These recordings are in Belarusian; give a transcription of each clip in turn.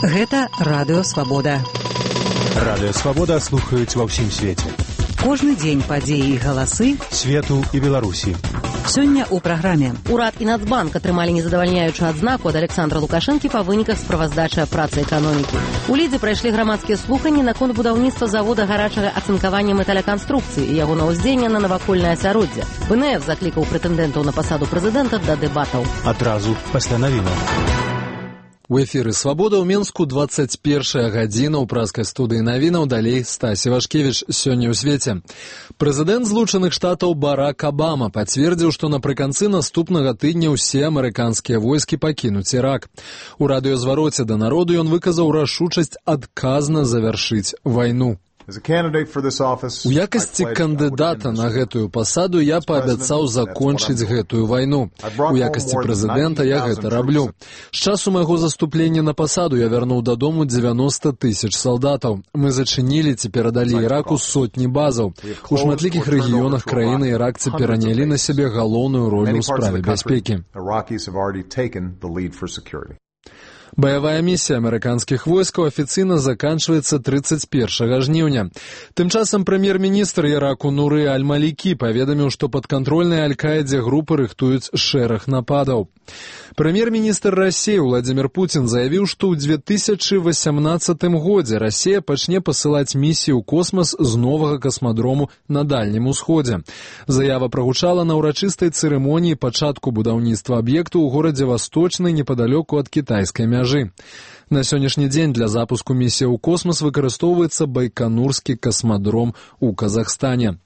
Гэта Радыё Свабода. Радыё Свабода слухаюць ва ўсім свеце. Кожны дзень падзеі і галасы свету і Беларусі. Сёння ў праграме. Урад і Нацбанк атрымалі незадавальняючую адзнаку ад Александра Лукашэнкі па выніках справаздачы працы эканомікі. У Лідзе прайшлі грамадскія слуханні наконт будаўніцтва завода гарачага ацынкавання металяканструкцыі і яго ўздзеяння на навакольнае асяроддзе. БНФ заклікаў прэтэндэнтаў на пасаду прэзідэнта да дэбатаў. Адразу пасля навінаў. У эфіры «Свабода» ў Мінску 21 гадзіна ў праскай студыі навінаў. Далей Стасі Вашкевіч. Сёння ў свеце. Прэзідэнт Злучаных Штатаў Барак Абама пацвердзіў, што напрыканцы наступнага тыдня ўсе амерыканскія войскі пакінуць Ірак. У радыёзвароце да народу ён выказаў рашучасць адказна завяршыць вайну. У якасці кандыдата на гэтую пасаду я паабяцаў закончыць гэтую вайну. У якасці прэзідэнта я гэта раблю. З часу майго заступлення на пасаду я вярнуў дадому 90 тысяч салдатаў. Мы зачынілі ці перадалі Іраку сотні базаў. У шматлікіх рэгіёнах краіны іракцы перанялі на сябе галоўную ролю ў справе бяспекі. Баявая місія амерыканскіх войскаў афіцыйна заканчваецца 31 жніўня. Тым часам прэм'ер-міністр Іраку Нуры Аль-Малікі паведаміў, што падкантрольныя Аль-Каідзе групы рыхтуюць шэраг нападаў. Прэм'ер-міністр Расіі Владзімір Пуцін заявіў, што ў 2018 годзе Расія пачне пасылаць місію ў космас з новага касмадрому на Дальнім Усходзе. Заява прагучала на ўрачыстай цырымоніі пачатку будаўніцтва аб'екту ў горадзе Васточны непадалёку ад кітайскай мяжы. На сённяшні дзень для запуску місіі ў космас выкарыстоўваецца Байканурскі касмадром у Казахстане.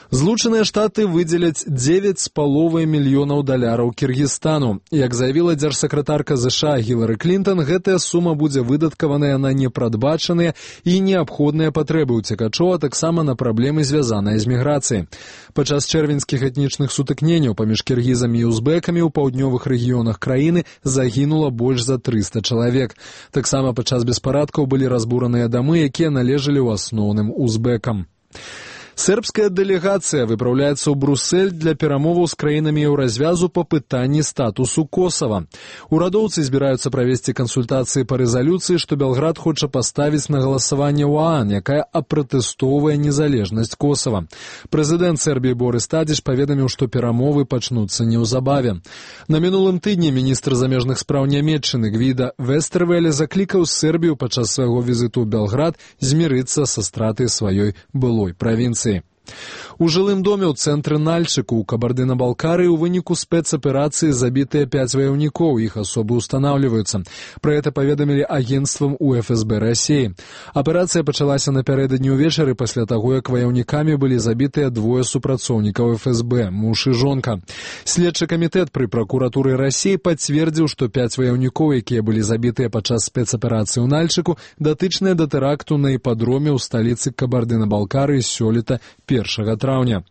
Злучаныя Штаты выдзеляць $9,5 мільёнаў Кіргізстану. Як заявіла дзяржсакратарка ЗША Гілары Клінтон, гэтая сума будзе выдаткаваная на непрадбачаныя і неабходныя патрэбы ўцекачоў, а таксама на праблемы, звязаныя з міграцыяй. Падчас чэрвеньскіх этнічных сутыкненняў паміж кіргізамі і узбекамі ў паўднёвых рэгіёнах краіны загінула больш за 300 чалавек. Таксама падчас беспарадкаў былі разбураныя дамы, якія належалі ў асноўным узбекам. Сербская дэлегацыя выпраўляецца ў Брусэль для перамоваў з краінамі еўразвязу па пытанні статусу Косава. Урадоўцы збіраюцца правесці кансультацыі па рэзалюцыі, што Белград хоча паставіць на галасаванне ў ААН, якая апратэстоўвае незалежнасць Косава. Прэзідэнт Сербіі Борис Тадзіч паведаміў, што перамовы пачнуцца неўзабаве. На мінулым тыдні міністр замежных спраў Нямецчыны Гвіда Вестэрвеле заклікаў Сербію падчас свайго візіту ў Белград змірыцца са стратай сваёй былой правінцыі. У жылым доме ў цэнтры Нальчыку ў Кабардына-Балкарыі ў выніку спецаперацыі забітыя 5 ваяўнікоў, іх асобы ўстанаўліваюцца. Пра гэта паведамілі агенцтвам у ФСБ Расіі. Аперацыя пачалася напярэдадні ўвечары пасля таго, як ваяўнікамі былі забітыя 2 супрацоўнікаў ФСБ, муж і жонка. Следчы камітэт пры пракуратуры Расіі пацвердзіў, што 5 ваяўнікоў, якія былі забітыя падчас спецаперацыі ў Нальчыку, датычныя да тэракту на іпадроме ў сталіцы Кабардына-Балкарыі сёлета 1 траўня.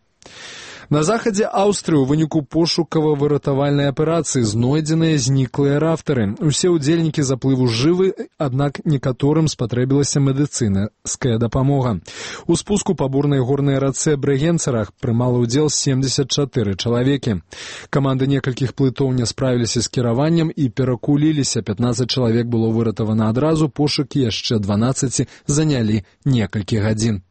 На захадзе Аўстрыі ў выніку пошукава-выратавальнай аперацыі знойдзеныя зніклыя рафтары. Усе ўдзельнікі заплыву жывы, аднак некаторым спатрэбілася медыцынская дапамога. У спуску па бурнай горнай рацэ Брэгенцарах прымала ўдзел 74 чалавекі. Каманды некалькіх плытоў не справіліся з кіраваннем і перакуліліся. 15 чалавек было выратавана адразу, пошукі яшчэ 12 занялі некалькі гадзін.